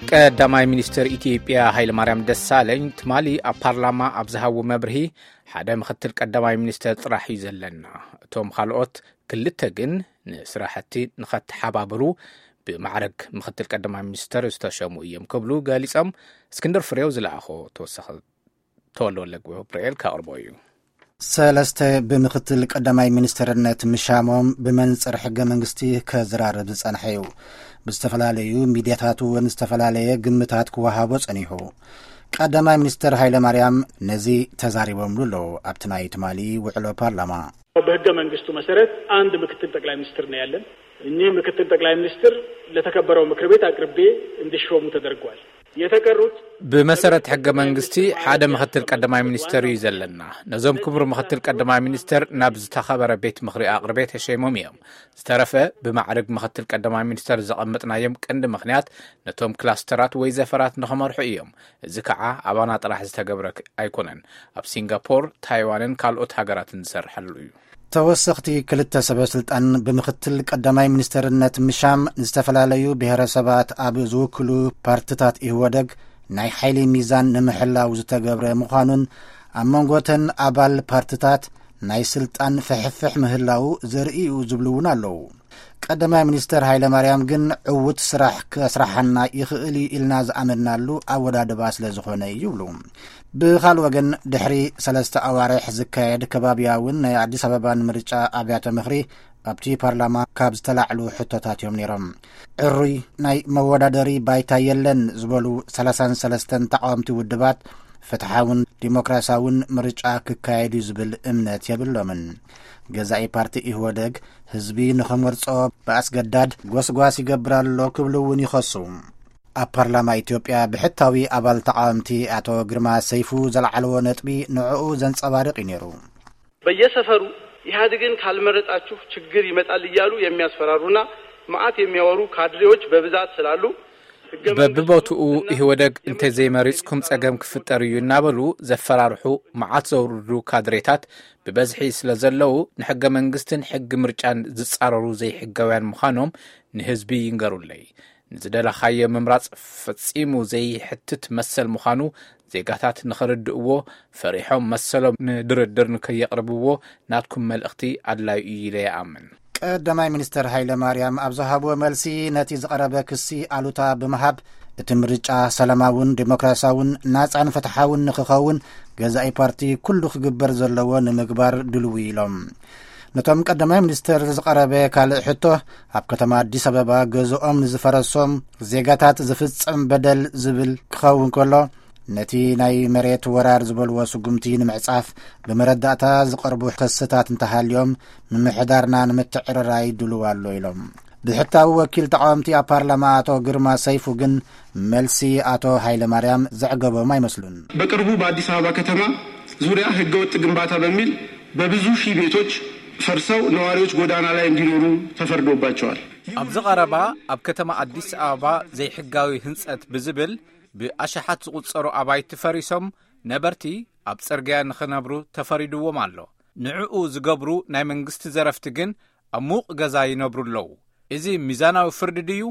ቀዳማይ ሚኒስትር ኢትዮጵያ ሃይለማርያም ደሳለኝ ትማሊ ኣብ ፓርላማ ኣብ ዝሃቦ መብርሂ፣ ሓደ ምክትል ቀዳማይ ሚኒስትር ጥራሕ እዩ ዘለና፣ እቶም ካልኦት ክልተ ግን ንስራሕቲ ንኸተሓባብሩ ብማዕረግ ምክትል ቀዳማይ ሚኒስትር ዝተሸሙ እዮም ክብሉ ገሊጾም። እስክንድር ፍሬው ዝለኣኾ ተወሳኺ። ተወልደ ወልደ ገብርኤል ከቕርቦ እዩ። ሰለስተ ብምክትል ቀዳማይ ሚኒስትርነት ምሻሞም ብመንጽር ሕገ መንግስቲ ከዘራርብ ዝጸንሐ እዩ። ብዝተፈላለዩ ሚድያታት እውን ዝተፈላለየ ግምታት ክወሃቦ ጸኒሑ። ቀዳማይ ሚኒስትር ሃይለ ማርያም ነዚ ተዛሪቦምሉ ኣለዉ ኣብቲ ናይ ትማሊ ውዕሎ ፓርላማ። በህገ መንግስቱ መሰረት አንድ ምክትል ጠቅላይ ሚኒስትር ነው ያለን። እኚህ ምክትል ጠቅላይ ሚኒስትር ለተከበረው ምክር ቤት አቅርቤ እንዲሾሙ ተደርጓል። የተቀሩት ብመሰረት ሕገ መንግስቲ ሓደ ምክትል ቀዳማይ ሚኒስተር እዩ ዘለና። ነዞም ክቡር ምክትል ቀዳማይ ሚኒስተር ናብ ዝተኸበረ ቤት ምኽሪ ኣቕርቤ ተሸይሞም እዮም። ዝተረፈ ብማዕርግ ምክትል ቀዳማይ ሚኒስተር ዘቐመጥናዮም ቀንዲ ምኽንያት ነቶም ክላስተራት ወይ ዘፈራት ንኸመርሑ እዮም። እዚ ከዓ ኣባና ጥራሕ ዝተገብረ ኣይኮነን። ኣብ ሲንጋፖር፣ ታይዋንን ካልኦት ሃገራትን ዝሰርሐሉ እዩ። ተወሰኽቲ ክልተ ሰበ ስልጣን ብምክትል ቀዳማይ ሚኒስተርነት ምሻም፣ ዝተፈላለዩ ብሔረሰባት ኣብ ዝውክሉ ፓርትታት ኢህወደግ ናይ ሓይሊ ሚዛን ንምሕላው ዝተገብረ ምዃኑን፣ ኣብ መንጎተን ኣባል ፓርትታት ናይ ስልጣን ፍሕፍሕ ምህላው ዘርኢ እዩ ዝብሉ እውን ኣለዉ። ቀዳማይ ሚኒስተር ሃይለ ማርያም ግን ዕዉት ስራሕ ከስራሓና ይኽእል እዩ ኢልና ዝኣመንናሉ ኣወዳድባ ስለ ዝኾነ እዩ ይብሉ። ብኻልእ ወገን፣ ድሕሪ ሰለስተ ኣዋርሕ ዝካየድ ከባብያውን ናይ ኣዲስ ኣበባን ምርጫ ኣብያተ ምኽሪ ኣብቲ ፓርላማ ካብ ዝተላዕሉ ሕቶታት እዮም ነይሮም። ዕሩይ ናይ መወዳደሪ ባይታ የለን ዝበሉ ሰላሳን ሰለስተን ተቃወምቲ ውድባት፣ ፍትሓውን ዲሞክራሲያውን ምርጫ ክካየድ እዩ ዝብል እምነት የብሎምን። ገዛኢ ፓርቲ ኢህወደግ ህዝቢ ንኸመርጾ ብኣስገዳድ ጎስጓስ ይገብር ኣሎ ክብሉ እውን ይኸሱ። ኣብ ፓርላማ ኢትዮጵያ ብሕታዊ ኣባል ተቃወምቲ ኣቶ ግርማ ሰይፉ ዘልዓልዎ ነጥቢ ንዕኡ ዘንጸባርቕ እዩ ነይሩ። በየሰፈሩ ኢህአዴግን ካልመረጣችሁ ችግር ይመጣል እያሉ የሚያስፈራሩና መዓት የሚያወሩ ካድሬዎች በብዛት ስላሉ፣ ህገ መንግስቱ በብቦትኡ ኢህወደግ እንተዘይመሪጽኩም ጸገም ክፍጠር እዩ እናበሉ ዘፈራርሑ መዓት ዘውርዱ ካድሬታት ብበዝሒ ስለ ዘለዉ፣ ንሕገ መንግስትን ሕጊ ምርጫን ዝጻረሩ ዘይሕጋውያን ምዃኖም ንህዝቢ ይንገሩለይ። ንዝደለኻዮ ምምራጽ ፈጺሙ ዘይሕትት መሰል ምዃኑ ዜጋታት ንኽርድእዎ፣ ፈሪሖም መሰሎም ንድርድር ንከየቕርብዎ ናትኩም መልእኽቲ ኣድላዩ እዩ ኢለ ይኣምን። ቀዳማይ ሚኒስተር ሃይለ ማርያም ኣብ ዝሃብዎ መልሲ፣ ነቲ ዝቐረበ ክሲ ኣሉታ ብምሃብ፣ እቲ ምርጫ ሰላማውን ዲሞክራሲያውን ናጻን ፍትሓውን ንኽኸውን ገዛኢ ፓርቲ ኩሉ ክግበር ዘለዎ ንምግባር ድልው ኢሎም። ነቶም ቀዳማይ ሚኒስተር ዝቐረበ ካልእ ሕቶ፣ ኣብ ከተማ ኣዲስ ኣበባ ገዝኦም ንዝፈረሶም ዜጋታት ዝፍጸም በደል ዝብል ክኸውን ከሎ፣ ነቲ ናይ መሬት ወራር ዝበልዎ ስጉምቲ ንምዕጻፍ ብመረዳእታ ዝቐርቡ ክስታት እንተሃልዮም፣ ምምሕዳርና ንምትዕርራይ ድሉው ኣሎ ኢሎም። ብሕታዊ ወኪል ተቃወምቲ ኣብ ፓርላማ ኣቶ ግርማ ሰይፉ ግን፣ መልሲ ኣቶ ሃይለ ማርያም ዘዕገቦም ኣይመስሉን። በቅርቡ በአዲስ አበባ ከተማ ዙሪያ ህገወጥ ግንባታ በሚል በብዙ ሺህ ቤቶች ፈርሰው ነዋሪዎች ጎዳና ላይ እንዲኖሩ ተፈርዶባቸዋል። ኣብዚ ቀረባ ኣብ ከተማ ኣዲስ ኣበባ ዘይሕጋዊ ህንጸት ብዝብል ብኣሽሓት ዝቑጸሩ ኣባይቲ ፈሪሶም ነበርቲ ኣብ ጽርግያ ንኽነብሩ ተፈሪድዎም ኣሎ። ንዕኡ ዝገብሩ ናይ መንግስቲ ዘረፍቲ ግን ኣብ ሙቕ ገዛ ይነብሩ ኣለዉ። እዚ ሚዛናዊ ፍርዲ ድዩ?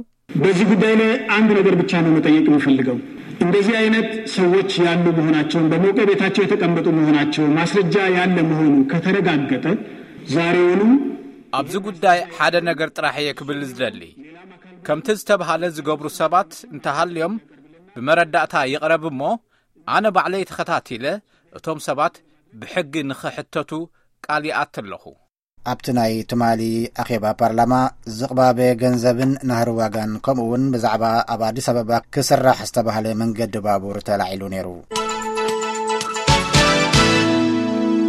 በዚህ ጉዳይ ላይ አንድ ነገር ብቻ ነው መጠየቅ የምፈልገው። እንደዚህ አይነት ሰዎች ያሉ መሆናቸውን፣ በሞቀ ቤታቸው የተቀመጡ መሆናቸው ማስረጃ ያለ መሆኑ ከተረጋገጠ፣ ዛሬውኑ ኣብዚ ጉዳይ ሓደ ነገር ጥራሕ እየ ክብል ዝደሊ። ከምቲ ዝተብሃለ ዝገብሩ ሰባት እንተሃልዮም ብመረዳእታ ይቕረብ እሞ፣ ኣነ ባዕለይ ተኸታቲለ እቶም ሰባት ብሕጊ ንኽሕተቱ ቃል ይኣቲ ኣለኹ። ኣብቲ ናይ ትማሊ ኣኼባ ፓርላማ፣ ዝቕባበ ገንዘብን ናህሪ ዋጋን፣ ከምኡ እውን ብዛዕባ ኣብ ኣዲስ ኣበባ ክስራሕ ዝተባህለ መንገዲ ባቡር ተላዒሉ ነይሩ።